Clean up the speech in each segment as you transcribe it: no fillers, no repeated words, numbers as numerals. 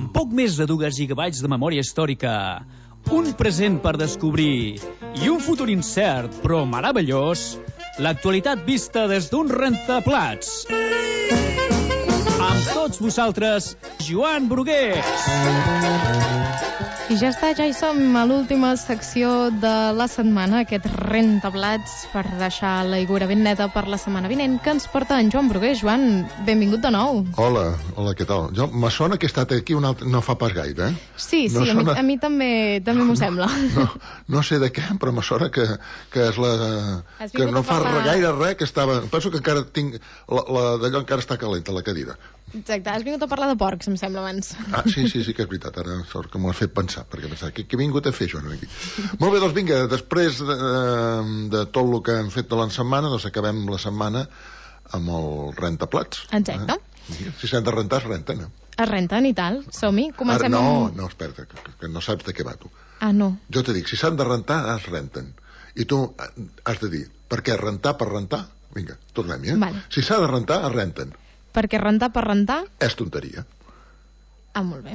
Amb poc més de 2 gigabytes de memòria històrica, un present per descobrir i un futur incert però meravellós, l'actualitat vista des d'un rentaplats. Amb tots vosaltres, Joan Brugués. I ja està, ja hi som a l'última secció de la setmana, aquest rentaplats per deixar l'aigüera ben neta per la setmana vinent, que ens porta en Joan Brugués. Joan, benvingut de nou. Hola, què tal? Me sona que he estat aquí no fa pas gaire, eh? Sí, a mi també m'ho sembla. No sé de què, però me sona que és la... que no fa gaire res, que estava... Penso que encara tinc... d'allò encara està calenta, la cadira. Exacte, has vingut a parlar de porcs, em sembla, abans. Ah, sí, que és veritat, ara sort que m'ho has fet pensar, perquè pensava, què he vingut a fer això aquí? Molt bé, doncs vinga, després de tot el que hem fet de la setmana, doncs acabem la setmana amb el rentaplats. Exacte. Si s'han de rentar, es renten, eh? Es renten i tal, som-hi, comencem amb... No, espera, que no saps de què va, tu. Ah, no. Jo te dic, si s'han de rentar, es renten. I tu has de dir, per què rentar per rentar? Vinga, tornem-hi, eh? Vale. Si s'ha de rentar, es renten. Perquè rentar per rentar... És tonteria. Ah, molt bé.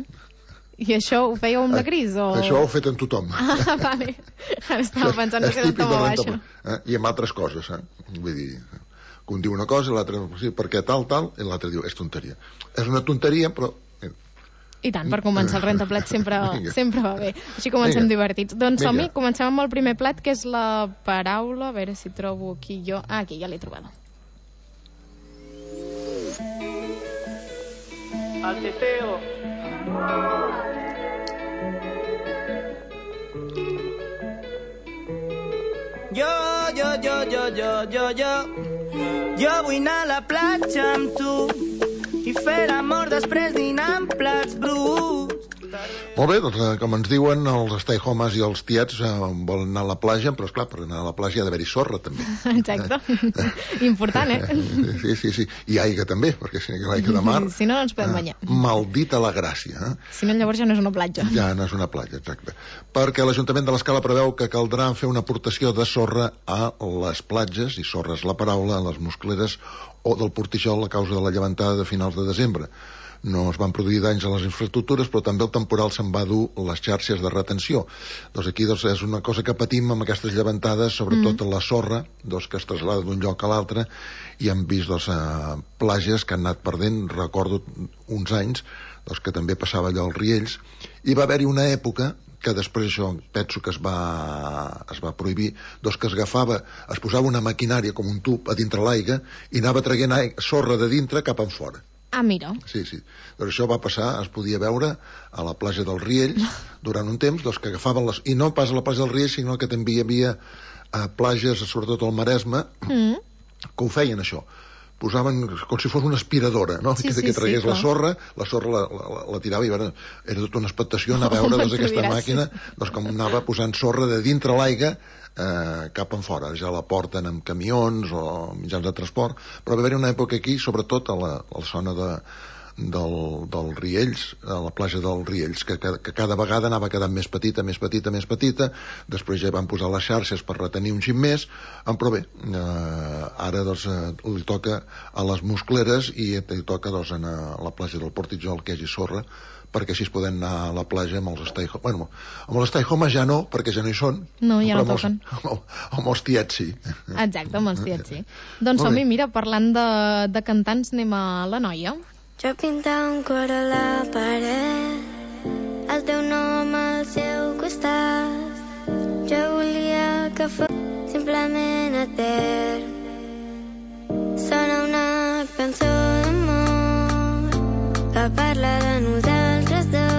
I això ho fèieu amb la Cris, o...? Això ho he fet amb tothom. Ah, vale. Ara estava pensant que era un toma baixa. I amb altres coses, eh? Vull dir, que un diu una cosa, l'altre, sí, perquè tal, i l'altre diu, és tonteria. És una tonteria, però... I tant, per començar el rentaplats sempre va bé. Així comencem divertits. Doncs som-hi, comencem amb el primer plat, que és la paraula... A veure si trobo aquí jo... Ah, aquí, ja l'he trobat. Al teteo. Jo vull anar a la platja amb tu i fer l'amor després dinar amb plats bruts. Molt bé, doncs com ens diuen, els stay-homes i els tiets volen anar a la platja, però esclar, per anar a la platja hi ha d'haver-hi sorra, també. Exacte. Important, eh? Sí. I aigua també, perquè si no l'aigua de mar... Si no, no ens podem banyar. Maldita la gràcia, eh? Si no, llavors ja no és una platja. Ja no és una platja, exacte. Perquè l'Ajuntament de l'Escala preveu que caldrà fer una aportació de sorra a les platges, i sorra és la paraula, a les muscleres o del Portixol a causa de la llevantada de finals de desembre. No es van produir danys a les infraestructures, però també el temporal se'n va dur les xarxes de retenció. Doncs aquí és una cosa que patim amb aquestes llevantades, sobretot la sorra, que es trasllada d'un lloc a l'altre, i hem vist platges que han anat perdent. Recordo uns anys que també passava allò als Riells, i va haver-hi una època que després això penso que es va prohibir, que es posava una maquinària com un tub a dintre l'aigua i anava traient sorra de dintre cap en fora. Ah, mira. Sí. Doncs això va passar, es podia veure a la platja dels Riells durant un temps, que agafaven i no pas a la platja dels Riells, sinó que també hi havia platges, sobretot al Maresme, que ho feien això. Posaven com si fos una aspiradora, no? Que tragués la sorra la tirava i era tota una expectació anar a veure aquesta màquina com anava posant sorra de dintre l'aigua cap en fora. Ja la porten amb camions o mitjans de transport, però va haver-hi una època aquí, sobretot a la zona del Riells, a la platja del Riells, que cada vegada anava quedant més petita, després ja van posar les xarxes per retenir un xic més, però bé, ara li toca a les muscleres i li toca anar a la platja del Portitjol, que hi hagi sorra, perquè així es poden anar a la platja amb els stay-homes. Bueno, amb els stay-homes ja no, perquè ja no hi són. No, ja no toquen. Amb els tiets sí. Exacte, amb els tiets sí. Doncs som-hi, mira, parlant de cantants, anem a la Noia. Jo pintava un cor a la paret, el teu nom al seu costat. Jo volia que fos simplement etern. Sona una cançó d'amor que parla de nosaltres dos.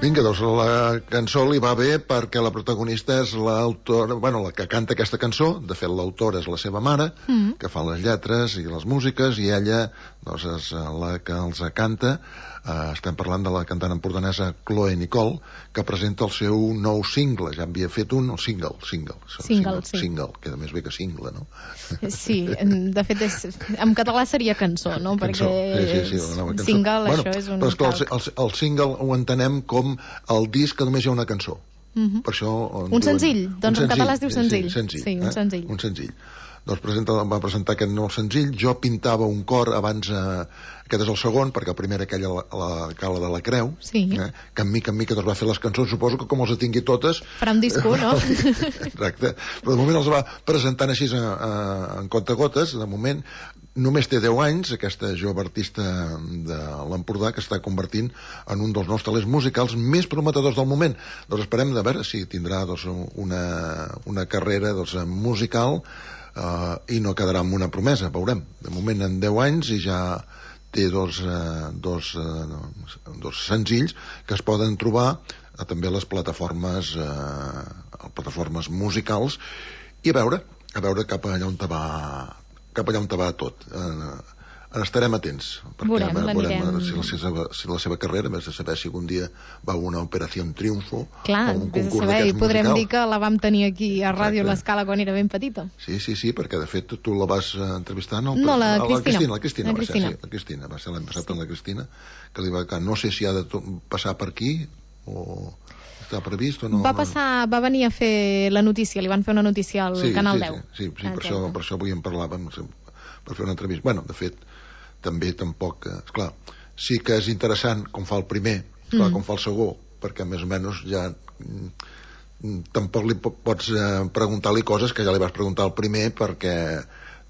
Vinga, doncs la cançó li va bé perquè la protagonista és l'autora, la que canta aquesta cançó. De fet, l'autora és la seva mare, que fa les lletres i les músiques, i ella és la que els canta. Estem parlant de la cantant empordanesa Chloe Nicole, que presenta el seu nou single. Ja havia fet un single, queda més bé que single, no? Sí, de fet en català seria cançó, no? Cançó. Perquè Sí, single, això és un... Però el single ho entenem com el disc que només hi ha una cançó. Per això un senzill, doncs en català es diu senzill. Sí, un senzill. doncs va presentar aquest nou senzill. Jo pintava un cor abans, aquest és el segon, perquè el primer era aquella la Cala de la Creu, que en mica doncs va fer les cançons, suposo que com els tingui totes farà un disco, no? Exacte, però de moment els va presentant així en comptagotes. De moment només té 10 anys, aquesta jove artista de l'Empordà, que està convertint en un dels nous talents musicals més prometedors del moment. Doncs esperem de veure si tindrà una carrera musical i no quedarà amb una promesa, veurem. De moment en 10 anys i ja té dos senzills que es poden trobar també a les plataformes musicals, i a veure cap allà on va tot. Estarem atents, perquè veurem si la seva carrera, més de saber si algun dia va a una Operació Triunfo, clar, o un concurs d'aquests musicals. Podrem dir que la vam tenir aquí a Ràdio L'Escala quan era ben petita. Sí, perquè de fet tu la vas entrevistar... No, la Cristina. La Cristina va ser l'any passat amb la Cristina, que li va... No sé si ha de passar per aquí o està previst o no. Va venir a fer la notícia, li van fer una notícia al Canal 10. Sí, per això avui en parlàvem, per fer una entrevista. Bueno, de fet, també tampoc... Esclar, sí que és interessant com fa el primer, com fa el segon, perquè més o menys ja... Tampoc li pots preguntar-li coses que ja li vas preguntar al primer, perquè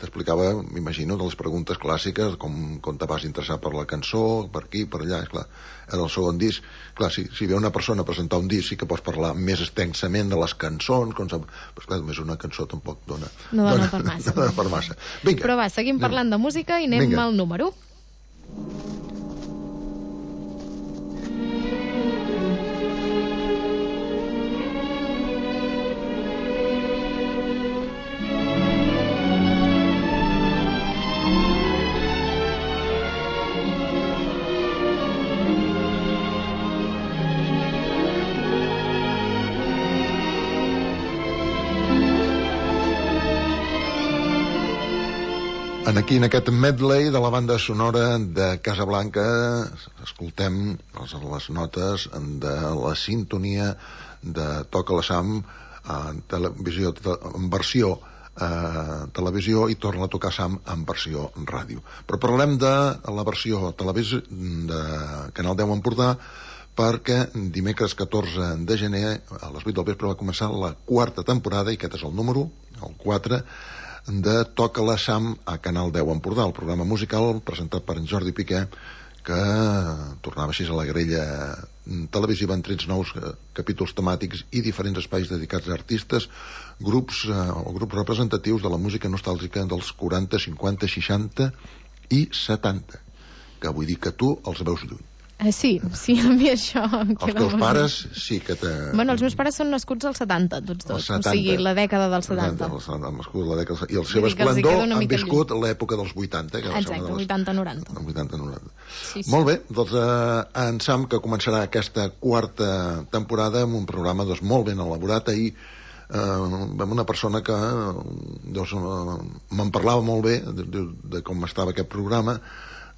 t'explicava, m'imagino, de les preguntes clàssiques, com te vas interessar per la cançó, per aquí, per allà, esclar. Era el segon disc. Clar, si ve una persona a presentar un disc, sí que pots parlar més extensament de les cançons, però esclar, només una cançó tampoc dona per massa. Vinga. Però va, seguim parlant de música i anem al número. Aquí en aquest medley de la banda sonora de Casablanca escoltem les notes de la sintonia de Toca la Sam en versió televisió i torna a tocar Sam en versió ràdio. Però parlem de la versió televisió de Canal 10 Empordà, perquè dimecres 14 de gener a les 8 del vespre va començar la quarta temporada, i aquest és el número, el 4, de Toca la Sam a Canal 10 Empordà, el programa musical presentat per en Jordi Piqué, que tornava així a la grella televisiva en 3 nous capítols temàtics i diferents espais dedicats a artistes, grups representatius de la música nostàlgica dels 40, 50, 60 i 70, que vull dir que tu els veus lluny. Sí, a mi això em queda... Els teus pares sí que te... Bueno, els meus pares són nascuts als 70, tots dos. O sigui, la dècada dels 70. I el seu esplendor han viscut l'època dels 80. Exacte, 80-90. Sí. Molt bé, doncs en Sam, que començarà aquesta quarta temporada amb un programa molt ben elaborat. Ahir vam una persona que me'n parlava molt bé de com estava aquest programa,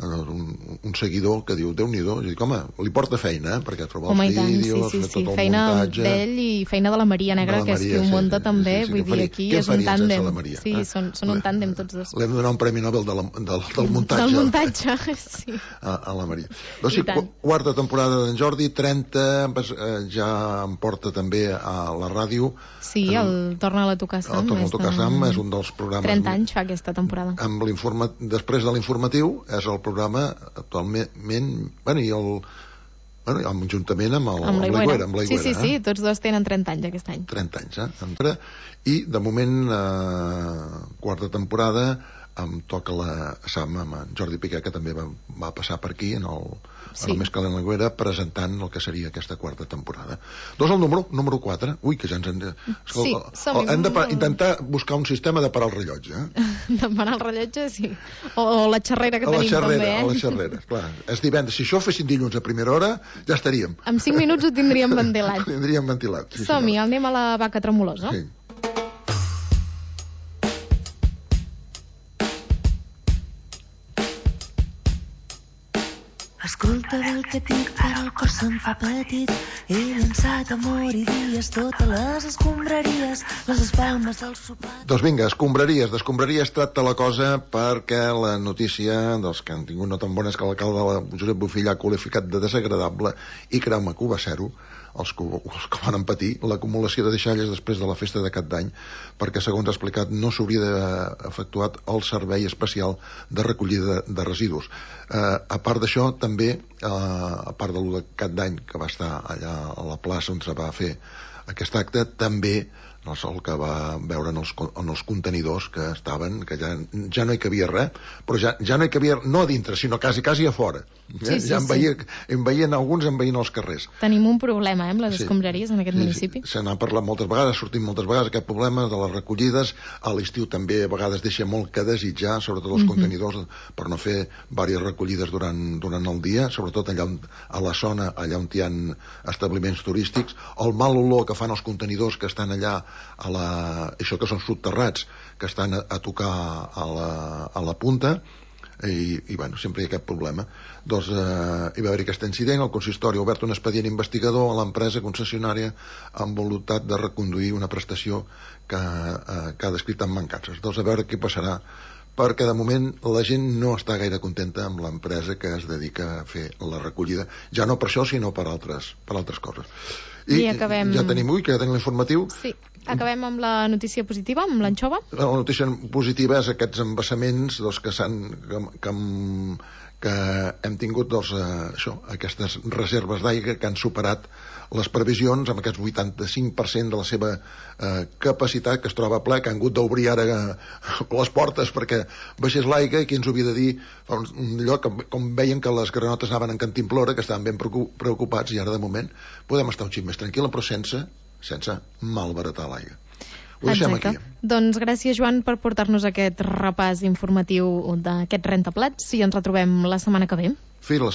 un seguidor que diu, Déu-n'hi-do, i dic, home, li porta feina, perquè trobar els vídeos, fer tot el feina muntatge... d'ell i feina de la Maria Negra, que és qui ho munta també, vull dir, aquí és un tàndem. Sí, són un tàndem tots dos. Li hem de donar un premi Nobel del muntatge. Del muntatge, sí. A la Maria. Doncs sí, quarta temporada d'en Jordi, 30, ja em porta també a la ràdio. Sí, el Torna a tocar Sam. El Torna a tocar Sam és un dels programes... 30 anys fa aquesta temporada. Després de l'informatiu, és el programa actualment, juntament amb l'Aigüera. Sí, tots dos tenen 30 anys aquest any. 30 anys, I de moment, quarta temporada, em toca la Sam amb en Jordi Piqué, que també va passar per aquí en el Més calent a l'Aigüera, presentant el que seria aquesta quarta temporada. Doncs el número 4. Ui, que ja ens hem de... Hem d'intentar buscar un sistema de parar el rellotge. De parar el rellotge, sí. O la xerrera que tenim també, A la xerrera, clar. És divendres. Si això ho fessin dilluns a primera hora, ja estaríem. En 5 minuts ho tindríem ventilat. Sí, som-hi, anem a la vaca tremolosa. Sí. Escolta bé el que et dic, però el cor se'm fa petit. He llançat amor i dies totes les escombraries, les espalmes del sopar. Doncs vinga, d'escombraries tracta la cosa, perquè la notícia dels que han tingut no tan bona és que l'alcalde Josep Bofill ha qualificat de desagradable, i creu-me que ho va ser-ho, els que van patir l'acumulació de deixalles després de la festa de Cap d'Any, perquè, segons ha explicat, no s'hauria d'haver efectuat el servei especial de recollida de residus. A part d'això, també, a part de Cap d'Any, que va estar allà a la plaça on se va fer aquest acte, també el que va veure en els contenidors que estaven, que ja no hi cabia res, però ja no hi cabia, no a dintre, sinó quasi a fora. Sí, ja en veien alguns envaint els carrers. Tenim un problema, amb les escombraries en aquest municipi. Se n'ha parlat moltes vegades, ha sortit moltes vegades aquest problema de les recollides. A l'estiu també a vegades deixa molt que desitjar, sobretot els contenidors, per no fer diverses recollides durant el dia, sobretot allà a la zona, allà on hi ha establiments turístics. El mal olor que fan els contenidors que estan allà això que són subterrats, que estan a tocar a la punta, i bueno, sempre hi ha aquest problema. Doncs hi va haver aquest incident, el consistori ha obert un expedient investigador a l'empresa concessionària amb voluntat de reconduir una prestació que ha descrit amb mancances. Doncs a veure què passarà, perquè de moment la gent no està gaire contenta amb l'empresa que es dedica a fer la recollida, ja no per això sinó per altres coses. I acabem... ja tenim l'informatiu. Sí, acabem amb la notícia positiva, amb l'anxova. La notícia positiva és aquests embassaments que hem tingut aquestes reserves d'aigua que han superat les previsions amb aquest 85% de la seva capacitat, que es troba ple, que han hagut d'obrir ara les portes perquè baixés l'aigua, i qui ens ho havia de dir allò com veien que les granotes anaven en cantimplora, que estaven ben preocupats, i ara de moment podem estar un xic més tranquil·la, però sense malbaratar l'aigua. Ho deixem aquí. Doncs gràcies, Joan, per portar-nos aquest repàs informatiu d'aquest rentaplats, i ens retrobem la setmana que ve. Fins la